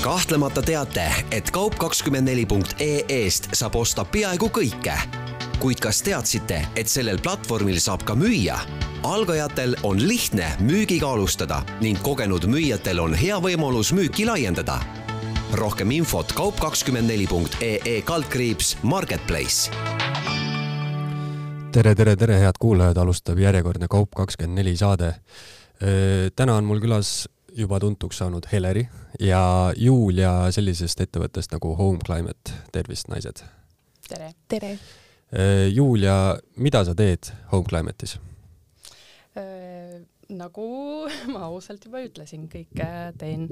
Kahtlemata teate, et kaup24.ee-st saab osta peaaegu kõike. Kuid kas teadsite, et sellel platvormil saab ka müüa? Algajatel on lihtne müügiga alustada ning kogenud müüjatel on hea võimalus müüki laiendada. Rohkem infot kaup24.ee/marketplace. Tere, head kuulajad, alustab järjekordne Kaup24 saade. Täna on mul külas juba tuntuks saanud Heleri ja Julia sellisest ettevõttest nagu Home Climate. Tervist, naised! Tere! Julia, mida sa teed Home Climate'is? Nagu ma ausalt juba ütlesin, kõike teen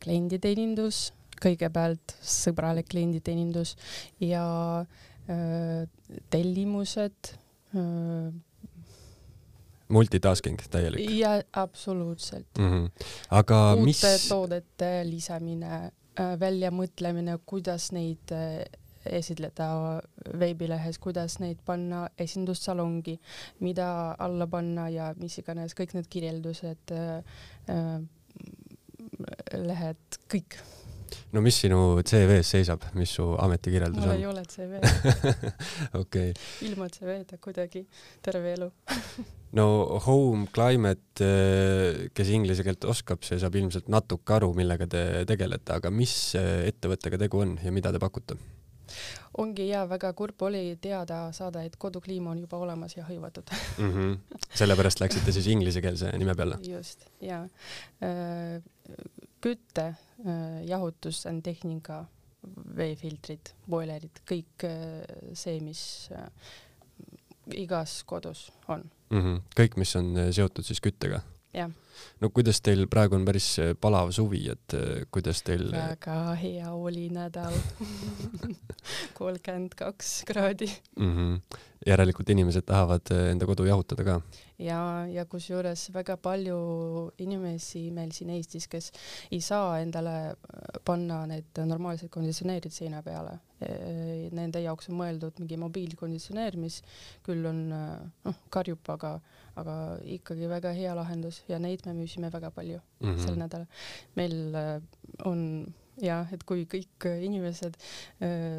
klienditeenindus, kõigepealt sõbralik klienditeenindus ja tellimused. Multitasking täielik. Ja absoluutselt. Aga uute toodete lisamine, väljamõtlemine, kuidas neid esitleda veebilehes, kuidas neid panna esindussalongi, mida alla panna ja mis iganes, kõik need kirjeldused, lehed, kõik. No mis sinu CV-s seisab, mis su ametikirjeldus on? Mul ei ole CV. Okay. Ilma CV-da kuidagi terve elu. No Home Climate, kes inglise keelt oskab, see saab ilmselt natuke aru, millega te tegelete, aga mis ettevõttega tegu on ja mida te pakute? Ongi väga kurb oli teada saada, et kodukliima on juba olemas ja hõivatud. Sellepärast läksite siis inglisekeelse nime peale? Just, ja. Kütte, jahutus, tehnika, veefiltrid, boilerid, kõik see, mis igas kodus on. Kõik, mis on seotud siis küttega? Jah. No kuidas teil praegu on päris palav suvi, et kuidas teil... Väga hea oli nädal. 32 kraadi. Järelikult inimesed tahavad enda kodu jahutada ka? Ja kusjuures väga palju inimesi meil siin Eestis, kes ei saa endale panna need normaalsed konditsioneerid seina peale. Nende jaoks on mõeldud mingi mobiilkonditsioneer, mis küll on karjub, aga ikkagi väga hea lahendus ja neid me müüsime väga palju sel nädal. Meil on et kui kõik inimesed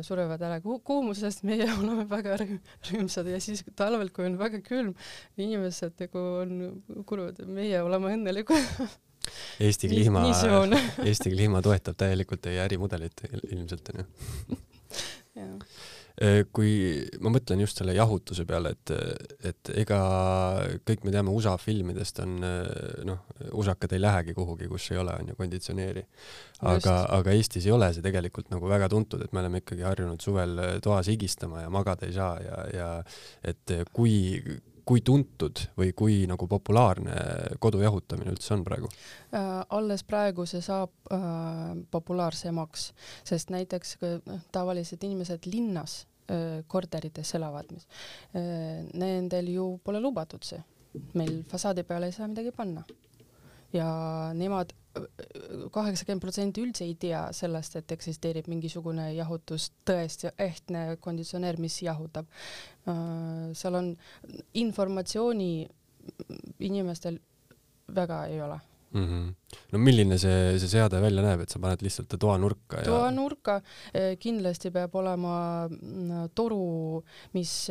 surevad ära kuumusest, meie oleme väga rõõmsad ja siis talvel, kui on väga külm, inimesed on kurvad, meie oleme õnnelikud. Eesti kliima toetab täielikult teie ärimudelit ilmselt. Kui ma mõtlen just selle jahutuse peale, et ega kõik me teame USA filmidest on, usakad ei lähegi kuhugi, kus ei ole konditsioneeri. Aga Eestis ei ole see tegelikult nagu väga tuntud, et me oleme ikkagi harjunud suvel toas higistama ja magada ei saa ja et kui tuntud või kui nagu populaarne kodujahutamine üldse on praegu? Alles praegu see saab populaarsemaks, sest näiteks tavalised inimesed linnas korterites elavad, nendel ju pole lubatud see. Meil fasaadi peale ei saa midagi panna. Ja nemad 80% üldse ei tea sellest, et eksisteerib mingisugune jahutus, tõesti ehtne konditsioneer, mis jahutab. Seal on informatsiooni inimestel väga ei ole. No milline see seade välja näeb, et sa paned lihtsalt toanurka? Toanurka kindlasti peab olema toru, mis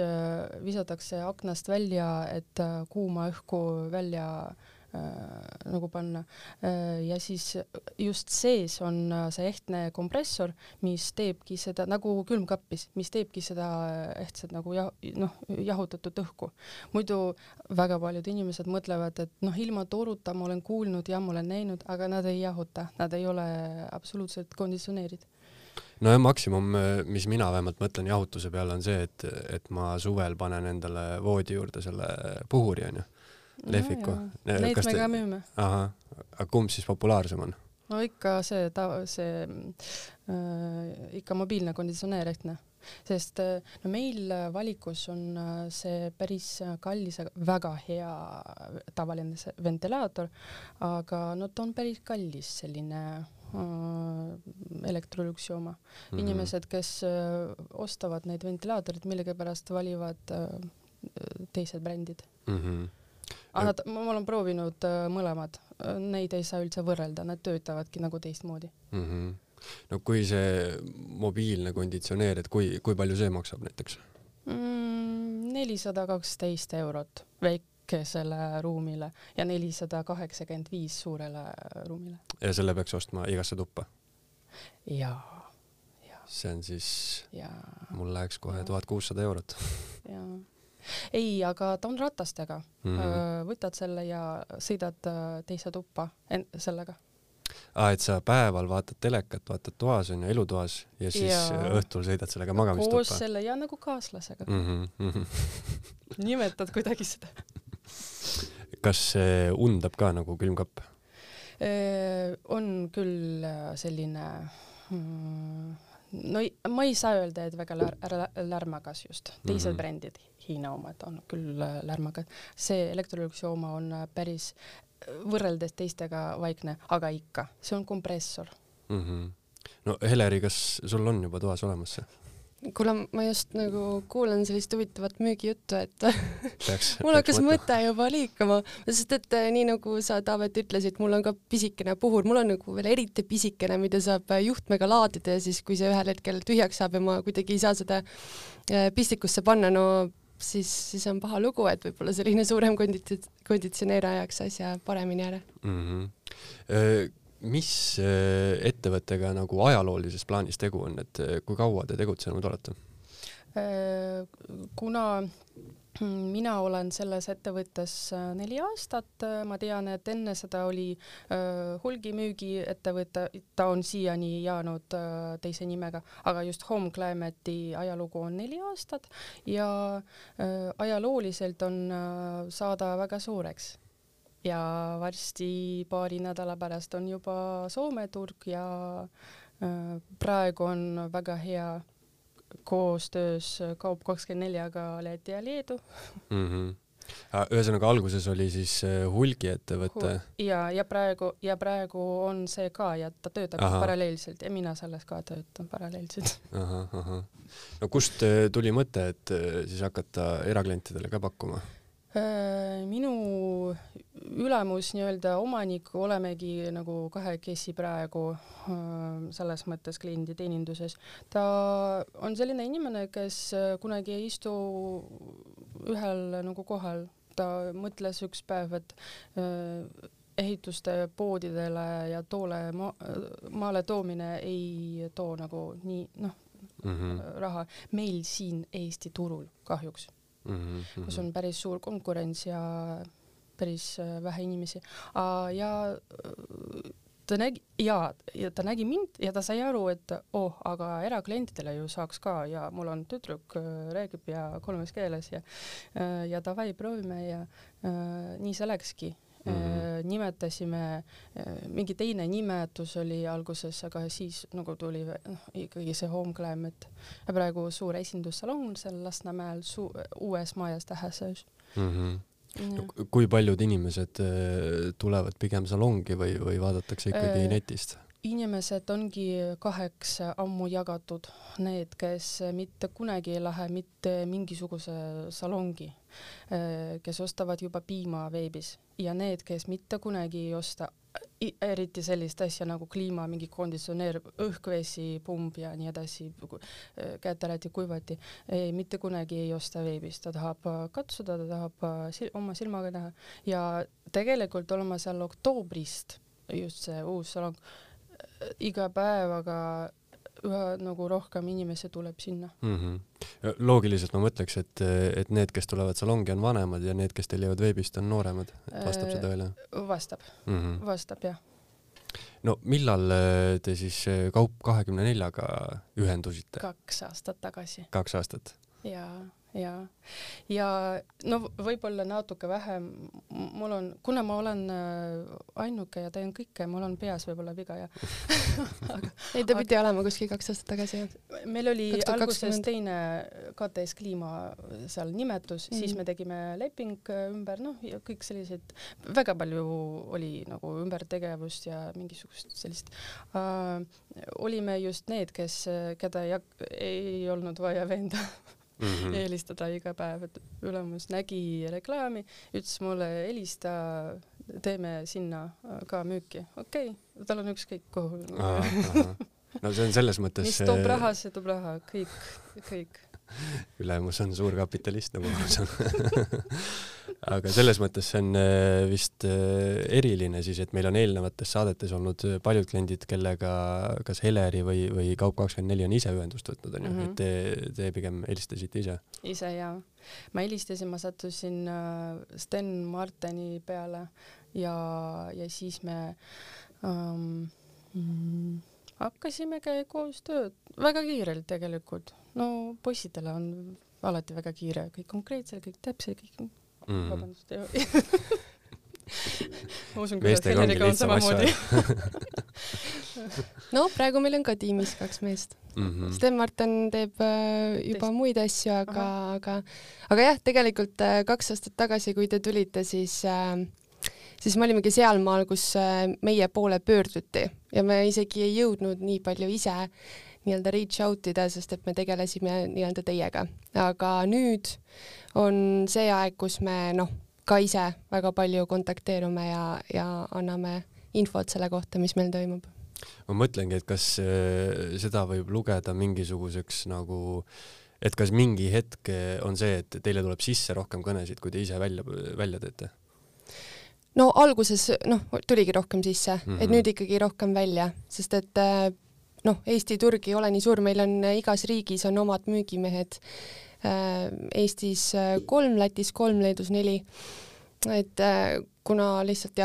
visatakse aknast välja, et kuuma õhku välja nagu panna. Ja siis just sees on see ehtne kompressor, mis teebki seda, nagu külmkappis, mis teebki seda ehtsed nagu jahutatud õhku. Muidu väga paljud inimesed mõtlevad, et ilma toruta ma olen kuulnud ja ma olen näinud, aga nad ei jahuta, nad ei ole absoluutselt konditsioneerid. No ja maksimum, mis mina vähemalt mõtlen jahutuse peale, on see, et ma suvel panen endale voodi juurde selle puhuri, on ju? Lehviku. Neid me ka müüme. Aga kumb siis populaarsem on? No ikka see ikka mobiilne konditsioneer ehtne. Sest meil valikus on see päris kallis, väga hea tavaline ventilaator, aga ta on päris kallis selline elektrolüksioma. Inimesed, kes ostavad neid ventilaatorid, millega pärast valivad teised brändid. Ma olen proovinud mõlemad. neid ei saa üldse võrrelda, nad töötavadki nagu teistmoodi. No kui see mobiilne konditsioneer, et kui palju see maksab näiteks? 412 eurot väikesele ruumile ja 485 suurele ruumile. Ja selle peaks ostma igasse tuppa? Jaa. See on siis, mul läheks kohe 1600 eurot. Ei, aga ta on ratastega. Võtad selle ja sõidad teise tuppa sellega. Et sa päeval vaatad telekat, vaatad toas on ja elutoas ja siis õhtul sõidad sellega magamistuppa. Koos selle ja nagu kaaslasega. Nimetad kuidagi seda. Kas see undab ka nagu külmkapp? On küll selline... No ma ei saa öelda, et väga lärmagas just. Teised brändid, Hiina omad on küll lärmagas. See Electroluxi oma on päris võrreldes teistega vaikne, aga ikka. See on kompressor. No Heleri, kas sul on juba toas olemas see? Kuule, ma just nagu kuulen sellist huvitavat müügijuttu, et mul hakkas mõte juba liikuma, sest et nii nagu sa, Taavet, ütlesid, mul on ka pisikene puhur, mul on nagu veel eriti pisikene, mida saab juhtmega laadida ja siis, kui see ühel hetkel tühjaks saab ja ma kuidagi ei saa seda pistikusse panna, no siis on paha lugu, et võib-olla selline suurem konditsioneer ajaks asja paremini ära. Mis ettevõttega nagu ajaloolises plaanis tegu on, et kui kaua te tegutsenud olete? Kuna mina olen selles ettevõttes 4 aastat, ma tean, et enne seda oli hulgimüügi ettevõte, ta on siiani jäänud teise nimega, aga just Home Climate'i ajalugu on 4 aastat ja ajalooliselt on saada väga suureks. Ja varsti paari nädala pärast on juba Soome turg ja praegu on väga hea koostöös Kaup24-ga Läti ja Leedu. Ühesõnaga alguses oli siis hulgiettevõte. Ja praegu on see ka ja ta töötab paralleelselt ja mina selles ka töötan paralleelselt. No kust tuli mõte, et siis hakata eraklientidele ka pakkuma? Minu ülemus nii-öelda omanik olemegi nagu kahekesi praegu selles mõttes kliendi teeninduses. Ta on selline inimene, kes kunagi ei istu ühel nagu kohal. Ta mõtles üks päev, et ehituste poodidele ja toole maale toomine ei too nagu nii raha. Meil siin Eesti turul kahjuks. Kus on päris suur konkurents ja päris vähe inimesi. Ja ta nägi mind ja ta sai aru, et aga eraklientidele ju saaks ka ja mul on tüdruk räägib ja 3 keeles ja davai proovime ja nii see läkski. Nimetasime, mingi teine nimetus oli alguses, aga siis nagu tuli ikkagi see Home Climate ja praegu suur esindussalon seal Lasnamäel uues majas Tähesöös. Kui paljud inimesed tulevad pigem salongi või vaadatakse ikkagi netist? Inimesed ongi 2 ammu jagatud. Need, kes mitte kunagi ei lähe mitte mingisuguse salongi, kes ostavad juba piima veebis ja need, kes mitte kunagi ei osta eriti sellist asja nagu kliima, mingi konditsioneer, õhkvesi, pumb ja nii edasi, käetarati, kuivati, mitte kunagi ei osta veebis. Ta tahab katsuda, ta tahab oma silmaga näha ja tegelikult olema seal oktoobrist, just see uus salong, iga päevaga üha nagu rohkem inimesi tuleb sinna. Loogiliselt ma mõtleks, et need, kes tulevad salongi, on vanemad ja need, kes tellivad veebist, on nooremad. Vastab seda veel? Vastab, jah. No millal te siis Kaup24-ga ühendusite? 2 aastat tagasi. 2 aastat? Ja no võib-olla natuke vähem kuna ma olen ainuke ja teen kõike, mul on peas võib-olla viga ja ei, ta pidi olema kuskil 2 aastat tagasi. Meil oli 2020. Alguses teine KTS Kliima seal nimetus, siis me tegime leping ümber, ja kõik sellised, väga palju oli nagu ümbertegevust ja mingisugust sellist. Olime just need, keda ei olnud vaja veenda helistada iga päev, et ülemus nägi reklaami, ütles mulle helista, teeme sinna ka müüki. Okei, tal on ükskõik kuhu. No see on selles mõttes... Mis toob raha, see toob raha, kõik. Ülemus on suur kapitalist, nagu ma saan. Aga selles mõttes see on vist eriline siis, et meil on eelnevates saadetes olnud paljud kliendid, kellega kas Heleri või Kaup24 on ise ühendust võtnud, et te pigem helistasite ise? Ise, jaa. Ma helistasin, ma sattusin Sten Marteni peale ja siis me hakkasimegi koos tööd väga kiirelt tegelikult. No poisidele on alati väga kiire, kõik konkreetsel, kõik täpsel, kõik vabandust. Ma usun, kuidas Heleriga on samamoodi. No, praegu meil on ka tiimis 2 meest. Sten Martin teeb juba muid asju, aga jah, tegelikult 2 aastat tagasi, kui te tulite, siis me olimegi sealmaal, kus meie poole pöörduti ja me isegi ei jõudnud nii palju ise nii-öelda reach out ida, sest et me tegelesime nii-öelda teiega. Aga nüüd on see aeg, kus me ka ise väga palju kontakteerume ja anname infot selle kohta, mis meil toimub. Ma mõtlengi, et kas seda võib lugeda mingisuguseks nagu, et kas mingi hetk on see, et teile tuleb sisse rohkem kõnesid, kui te ise välja teete? No alguses tuligi rohkem sisse, et nüüd ikkagi rohkem välja, sest et Eesti turg ei ole nii suur, meil on igas riigis on omad müügimehed, Eestis 3, Lätis 3, Leedus 4, et kuna lihtsalt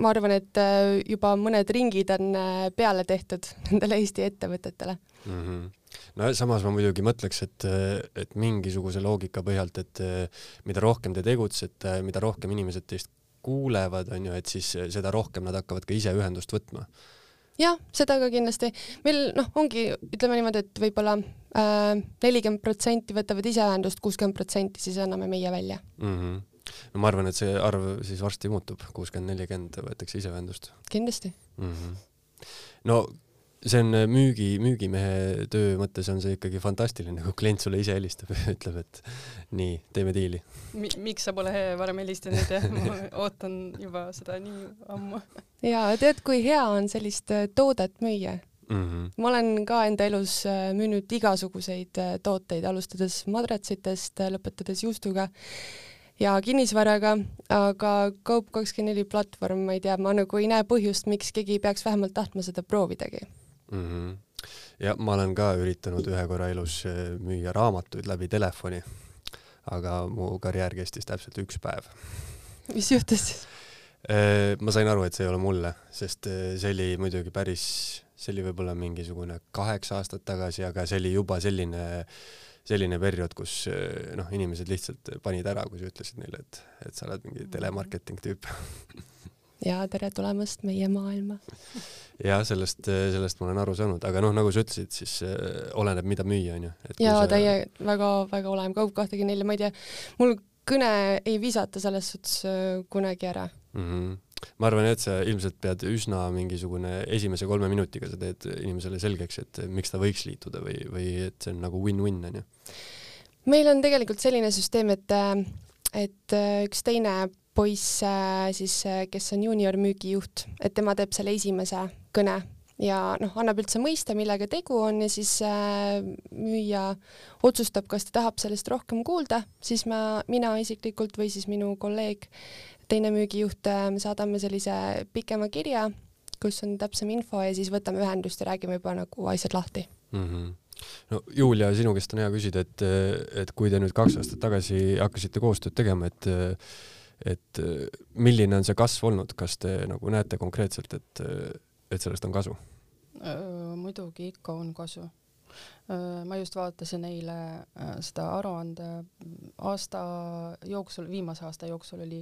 ma arvan, et juba mõned ringid on peale tehtud nendele Eesti ettevõtetele. No samas ma muidugi mõtleks, et mingisuguse loogika põhjalt, et mida rohkem te tegutsete, mida rohkem inimesed teist kuulevad, et siis seda rohkem nad hakkavad ka ise ühendust võtma. Jah, seda ka kindlasti. Meil ongi, ütleme niimoodi, et võibolla 40% võtavad ise ühendust, 60% siis anname meie välja. No ma arvan, et see arv siis varsti muutub, 60-40 võetakse ise ühendust. Kindlasti. No see on müügimehe töö mõttes on see ikkagi fantastiline, kui klient sulle ise helistab ja ütleb, et nii, teeme diili. Miks sa pole varem helistanud ja ma ootan juba seda nii ammu. Ja tead, kui hea on sellist toodet müüa. Ma olen ka enda elus müünud igasuguseid tooteid, alustades madratsitest, lõpetades juustuga ja kinnisvaraga, aga Kaup24 platvorm, ma ei tea, ma nagu ei näe põhjust, miks keegi peaks vähemalt tahtma seda proovidagi. Ja ma olen ka üritanud ühe korra elus müüa raamatuid läbi telefoni, aga mu karjäär kestis täpselt 1 päev. Mis juhtus siis? Ma sain aru, et see ei ole mulle, sest see oli muidugi see oli võib-olla mingisugune 8 aastat tagasi, aga see oli juba selline periood, kus inimesed lihtsalt panid ära, kui sa ütlesid neile, et sa oled mingi telemarketing tüüp. Ja tere tulemast meie maailma. Ja sellest ma olen aru saanud, aga nagu sa ütlesid, siis oleneb, mida müüa, on ju. Ja teie väga oleme Kaup24, ma ei tea, mul kõne ei visata selles suhtes kunagi ära. Ma arvan, et sa ilmselt pead üsna mingisugune esimese 3 minutiga sa teed inimesele selgeks, et miks ta võiks liituda või et see on nagu win-win, on ju. Meil on tegelikult selline süsteem, et üks teine poiss, siis, kes on junior müügijuht, et tema teeb selle esimese kõne ja annab üldse mõista, millega tegu on ja siis müüja otsustab, kas ta tahab sellest rohkem kuulda, siis mina isiklikult või siis minu kolleeg, teine müügijuht, me saadame sellise pikema kirja, kus on täpsem info ja siis võtame ühendust ja räägime juba nagu asjad lahti. No, Julia, sinu käest on hea küsida, et kui te nüüd 2 aastat tagasi hakkasite koostööd tegema, et milline on see kasv olnud, kas te nagu näete konkreetselt, et sellest on kasu? Muidugi ikka on kasu. Ma just vaatasin eile seda aruande aasta jooksul, viimase aasta jooksul oli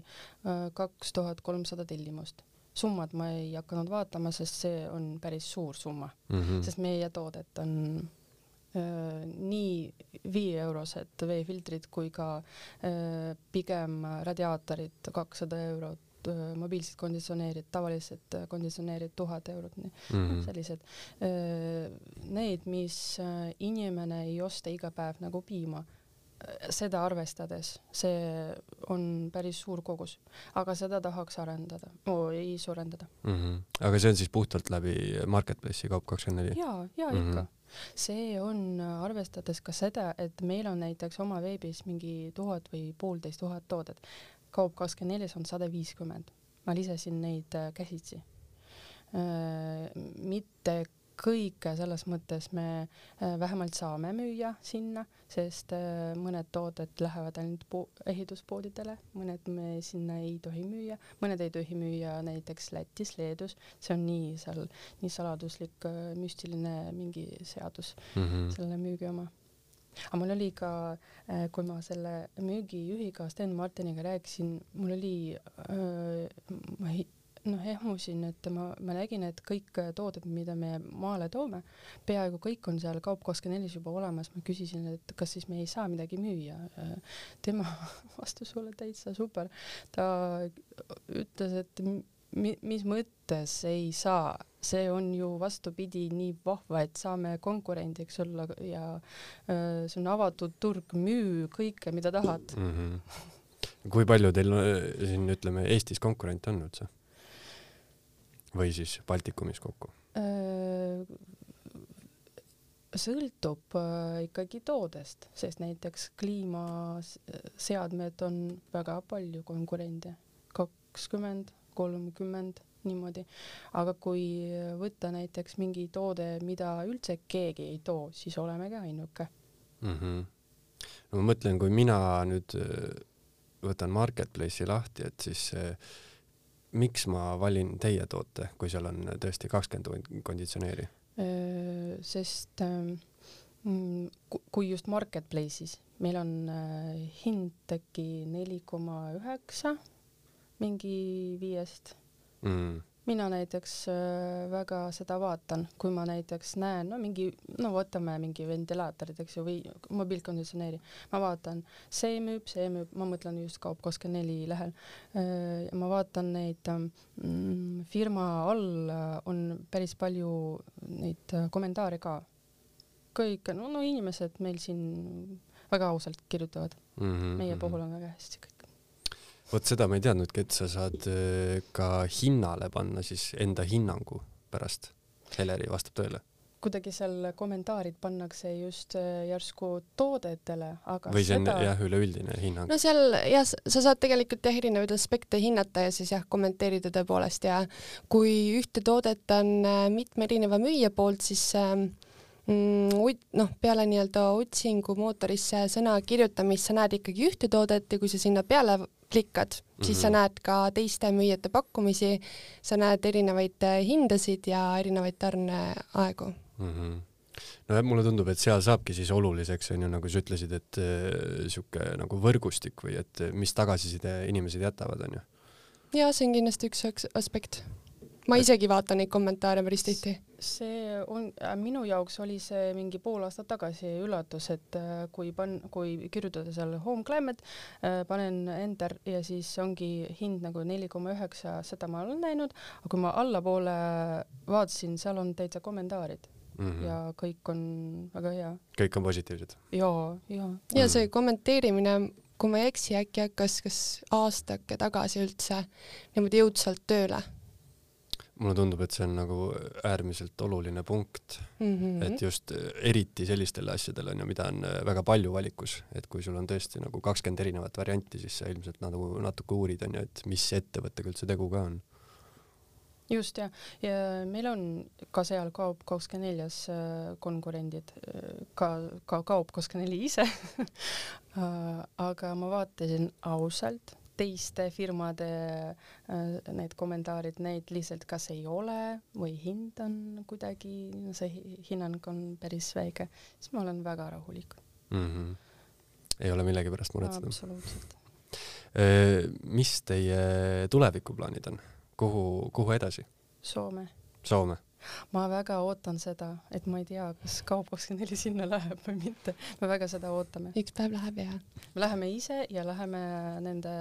2300 tellimust. Summad ma ei hakanud vaatama, sest see on päris suur summa, sest meie toodet on nii 5 eurosed veefiltrid kui ka pigem radiaatorid 200 eurot, mobiilsed konditsioneerid, tavalised konditsioneerid 1000 eurot, sellised. Need, mis inimene ei osta iga päev nagu piima, seda arvestades, see on päris suur kogus, aga seda tahaks arendada, ei suurendada. Aga see on siis puhtalt läbi Marketplace'i Kaup24? Ja ikka. See on arvestades ka seda, et meil on näiteks oma veebis mingi 1000 või 1500 toodet. Kaup24 on 150. Ma lisasin neid käsitsi. Mitte kõike selles mõttes me vähemalt saame müüa sinna, sest mõned tooted lähevad ainult ehituspoodidele, mõned me sinna ei tohi müüa, mõned ei tohi müüa näiteks Lätis, Leedus, see on nii saladuslik, müstiline mingi seadus selle müügi oma. Aga mul oli ka, kui ma selle müügijuhiga Sten Martiniga rääkisin, mul oli ehmusin, et ma nägin, et kõik tooted, mida me maale toome, peaaegu kõik on seal Kaup24 juba olemas. Ma küsisin, et kas siis me ei saa midagi müüa. Tema vastus oli täitsa super. Ta ütles, et mis mõttes ei saa. See on ju vastupidi nii vahva, et saame konkurendiks olla ja see on avatud turg, müü kõike, mida tahad. Kui palju teil siin, ütleme, Eestis konkurent on üldse? Või siis Baltikumis kokku? Sõltub ikkagi toodest, sest näiteks kliimaseadmed on väga palju konkurente, 20, 30, niimoodi. Aga kui võtta näiteks mingi toode, mida üldse keegi ei too, siis oleme ka ainuke. No ma mõtlen, kui mina nüüd võtan Marketplace'i lahti, et siis miks ma valin teie toote, kui seal on tõesti 20 konditsioneeri? Sest kui just Marketplace'is, meil on hind äkki 4,9 mingi 5. Mina näiteks väga seda vaatan, kui ma näiteks näen, võtame mingi ventilaatorid, eks ju, või mobiilkonditsioneeri. Ma vaatan, see müüb, ma mõtlen just Kaup24 lehel. Ma vaatan neid firma all on päris palju neid kommentaare ka. Kõik, inimesed meil siin väga ausalt kirjutavad. Meie puhul on väga hästi kõik. Vot seda ma ei teadnudki, et sa saad ka hinnale panna siis enda hinnangu pärast. Heleri vastab tõele. Kuidagi seal kommentaarid pannakse just järsku toodetele, aga või see on üleüldine hinnang? No seal sa saad tegelikult erinevaid aspekte hinnata ja siis kommenteerida tõepoolest ja kui ühte toodet on mitme erineva müüja poolt, siis peale nii-öelda otsingu mootorisse sõna kirjutamist sa näed ikkagi ühte toodet ja kui sa sinna peale klikkad, siis sa näed ka teiste müüjate pakkumisi, sa näed erinevaid hindasid ja erinevaid tarneaegu. No mulle tundub, et seal saabki siis oluliseks, on ju, nagu sa ütlesid, et siuke nagu võrgustik või et mis tagasiside inimesed jätavad, on ju? Ja see on kindlasti üks aspekt. Ma isegi vaatan neid kommentaare päris tihti. See on, minu jaoks oli see mingi pool aastat tagasi üllatus, et kui kirjutada seal Home Climate, panen enter ja siis ongi hind nagu 4,9, seda ma olen näinud, aga kui ma allapoole vaatasin, seal on täitsa kommentaarid ja kõik on väga hea. Kõik on positiivsed? Ja see kommenteerimine, kui ma ei eksi, äkki hakkas kas aastake tagasi üldse niimoodi jõudsalt tööle. Mulle tundub, et see on nagu äärmiselt oluline punkt, et just eriti sellistele asjadele, mida on väga palju valikus, et kui sul on tõesti nagu 20 erinevat varianti, siis sa ilmselt natuke uurid, on ju, et mis ettevõttega üldse tegu ka on. Just ja meil on ka seal Kaup24 konkurendid, ka Kaup24 ise, aga ma vaatasin ausalt, teiste firmade need kommentaarid, neid lihtsalt kas ei ole või hind on kuidagi, see hinnang on päris väike, siis ma olen väga rahulik. Ei ole millegi pärast muretseda. Absoluutselt. Mis teie tulevikuplaanid on? Kuhu edasi? Soome? Ma väga ootan seda, et ma ei tea, kas Kaup24 sinna läheb või mitte. Me väga seda ootame. Üks päev läheb ja. Me läheme ise ja läheme nende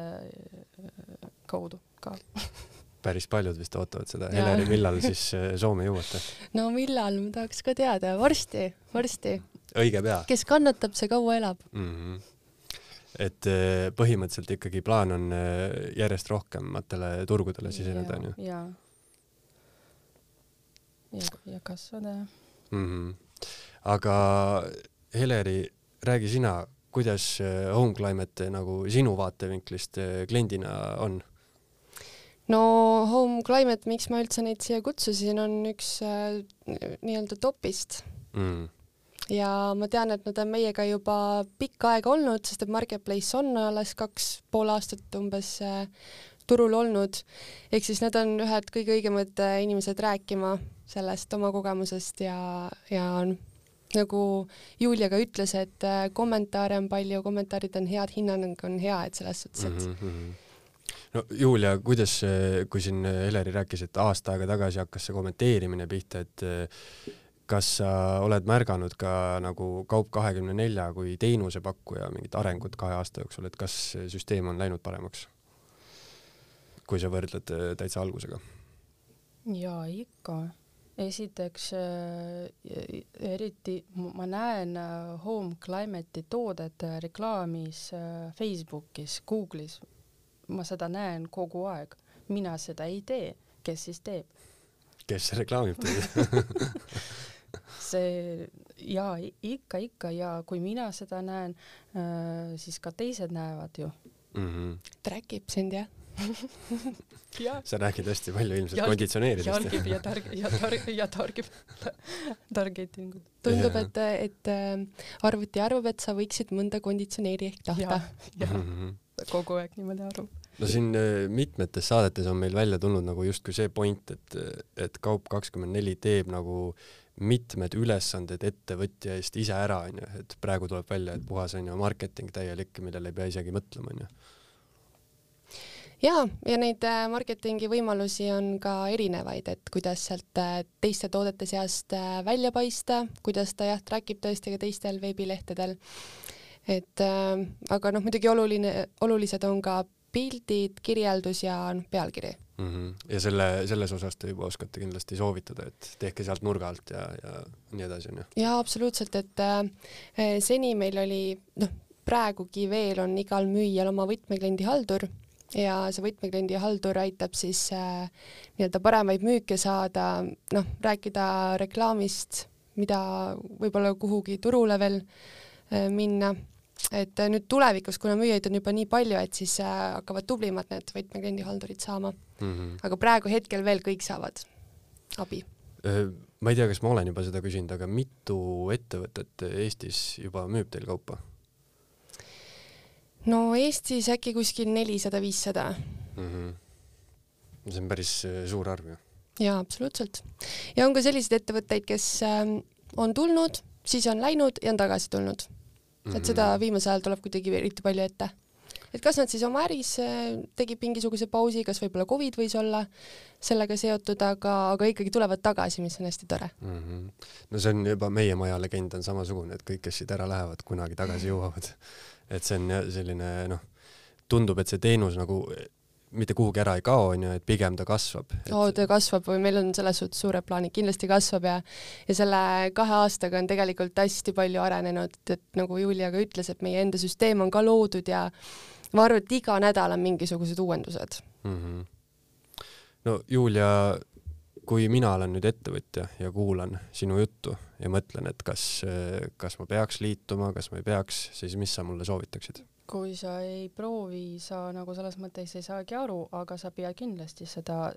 kaudu ka. Päris paljud vist ootavad seda. Heleri, millal siis Soome jõuate? No millal, ma tahaks ka teada. Varsti. Õige pea. Kes kannatab, see kaua elab. et põhimõtteliselt ikkagi plaan on järjest rohkematele turgudele siseneda, on ju? Ja kasvada. Aga Heleri, räägi sina, kuidas Home Climate nagu sinu vaatevinklist kliendina on? No Home Climate, miks ma üldse neid siia kutsusin, on üks nii-öelda topist. Ja ma tean, et nad on meiega juba pikka aega olnud, sest et Marketplace on alles 2,5 aastat umbes turul olnud. Ehk siis nad on ühed kõige õigemad inimesed rääkima sellest oma kogemusest ja nagu Julia ka ütles, et kommentaare on palju, kommentaarid on head, hinnang on hea, et selles suhtes, et No Julia, kuidas, kui siin Heleri rääkis, et aasta aega tagasi hakkas see kommenteerimine pihta, et kas sa oled märganud ka nagu Kaup24 kui teenusepakkuja mingit arengut 2 aasta jooksul, et kas süsteem on läinud paremaks, kui sa võrdled täitsa algusega? Jaa, ikka. Esiteks, eriti ma näen Home Climate'i toodet reklaamis Facebookis, Google'is. Ma seda näen kogu aeg. Mina seda ei tee. Kes siis teeb? Kes reklaamib teid? See, jaa, ikka, ja kui mina seda näen, siis ka teised näevad ju. Träkib sind, jah? Sa räägid hästi palju ilmselt konditsioneeridest. Jälgib ja targetingut. Tundub, et arvuti arvab, et sa võiksid mõnda konditsioneeri ehk tahta. Kogu aeg niimoodi arvab. No siin mitmetes saadetes on meil välja tulnud nagu justkui see point, et Kaup24 teeb nagu mitmed ülesanded ettevõtja eest ise ära, on ju, et praegu tuleb välja, et puhas on ju marketing täielik, millele ei pea isegi mõtlema, on ju. Ja neid marketingi võimalusi on ka erinevaid, et kuidas sealt teiste toodete seast välja paista, kuidas ta trackib tõesti ka teistel veebilehtedel. Aga muidugi olulised on ka pildid, kirjeldus ja pealkiri. Ja selles osas te juba oskate kindlasti soovitada, et tehke sealt nurga alt ja nii edasi, on ju? Ja absoluutselt, et seni meil oli, praegugi veel on igal müüjal oma võtmekliendi haldur ja see võtmekliendi haldur aitab siis nii-öelda paremaid müüke saada, rääkida reklaamist, mida võib-olla kuhugi turule veel minna. Et nüüd tulevikus, kuna müüjaid on juba nii palju, et siis hakkavad tublimad need võtmekliendi haldurid saama. Aga praegu hetkel veel kõik saavad abi. Ma ei tea, kas ma olen juba seda küsinud, aga mitu ettevõtet Eestis juba müüb teil kaupa? No Eestis äkki kuskil 400-500. See on päris suur arv ju. Jaa, absoluutselt. Ja on ka sellised ettevõtteid, kes on tulnud, siis on läinud ja on tagasi tulnud. Et seda viimase ajal tuleb kuidagi eriti palju ette. Et kas nad siis oma äris tegid mingisuguse pausi, kas võib-olla COVID võis olla sellega seotud, aga ikkagi tulevad tagasi, mis on hästi tore. No see on juba meie maja legend on samasugune, et kõik, kes siit ära lähevad, kunagi tagasi jõuavad. Et see on selline, tundub, et see teenus nagu mitte kuhugi ära ei kao, et pigem ta kasvab. Ta kasvab või meil on selles suhtes suured plaanid, kindlasti kasvab ja selle 2 aastaga on tegelikult hästi palju arenenud, et nagu Julia ka ütles, et meie enda süsteem on ka loodud ja ma arvan, et iga nädal on mingisugused uuendused. No Julia, kui mina olen nüüd ettevõtja ja kuulan sinu juttu ja mõtlen, et kas ma peaks liituma, kas ma ei peaks, siis mis sa mulle soovitaksid? Kui sa ei proovi, sa nagu selles mõttes ei saagi aru, aga sa pead kindlasti seda,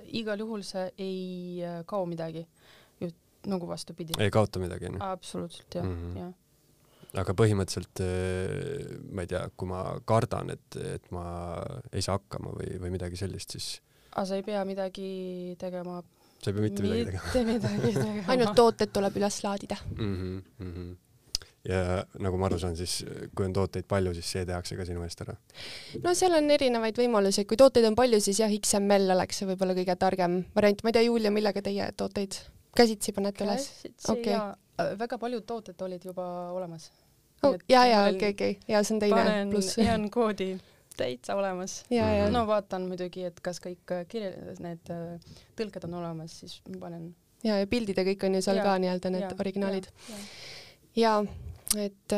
igal juhul see ei kao midagi, nagu vastupidi. Ei kaota midagi, ne? Absoluutselt, jah. Aga põhimõtteliselt, ma ei tea, kui ma kardan, et ma ei saa hakkama või midagi sellist, siis... Sa ei pea midagi tegema. Sa ei pea mitte midagi tegema. Ainult tooted tuleb üles laadida. Ja nagu ma aru saan, siis kui on tooteid palju, siis see tehakse ka sinu eest ära? No seal on erinevaid võimalusi. Kui tooteid on palju, siis jah, XML oleks see võib-olla kõige targem variant. Ma ei tea, Julia, millega teie tooteid käsitsi panete üles? Käsitsi ja väga paljud tooted olid juba olemas. Okay. Ja see on teine pluss. Panen koodi täitsa olemas. No vaatan muidugi, et kas kõik need tõlked on olemas, siis panen. Ja pildid ja kõik on ju seal ka nii-öelda need originaalid. Ja et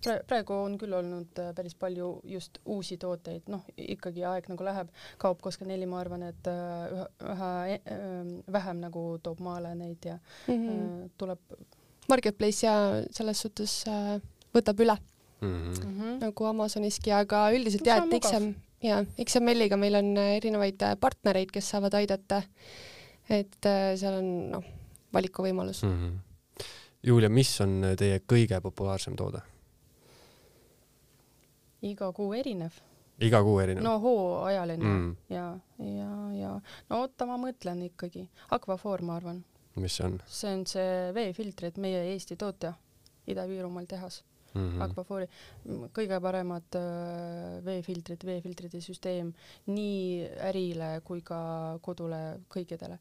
praegu on küll olnud päris palju just uusi tooteid, ikkagi aeg nagu läheb, Kaup24, ma arvan, et üha vähem nagu toob maale neid ja tuleb Marketplace ja selles suhtes võtab üle nagu Amazoniski, aga üldiselt et XML-iga meil on erinevaid partnereid, kes saavad aidata, et seal on valikuvõimalus. Julia, mis on teie kõige populaarsem toode? Iga kuu erinev. Iga kuu erinev? No hooajaline ja oota, ma mõtlen ikkagi. Aquaphor, ma arvan. Mis see on? See on see veefiltrid, meie Eesti tootja Ida-Viirumaal tehas. Aquaphori. Kõige paremad veefiltrite süsteem nii ärile kui ka kodule kõikidele.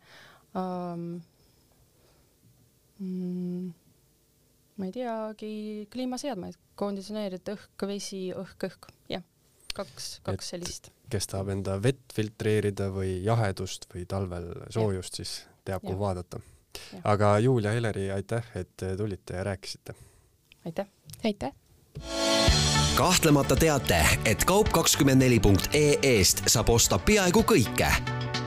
Ma ei teagi, kliimaseadmeid, konditsioneerid, õhk, vesi, õhk, jah, kaks sellist. Kes tahab enda vett filtreerida või jahedust või talvel soojust, siis teab, kuhu vaadata. Aga Julia, Heleri, aitäh, et tulite ja rääkisite. Aitäh. Aitäh. Kahtlemata teate, et kaup24.ee-st saab osta peaaegu kõike.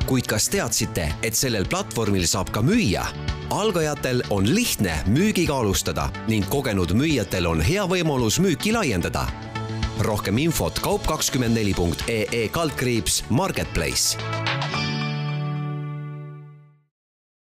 Kuid kas teadsite, et sellel platvormil saab ka müüa? Algajatel on lihtne müügiga alustada ning kogenud müüjatel on hea võimalus müüki laiendada. Rohkem infot kaup24.ee/marketplace.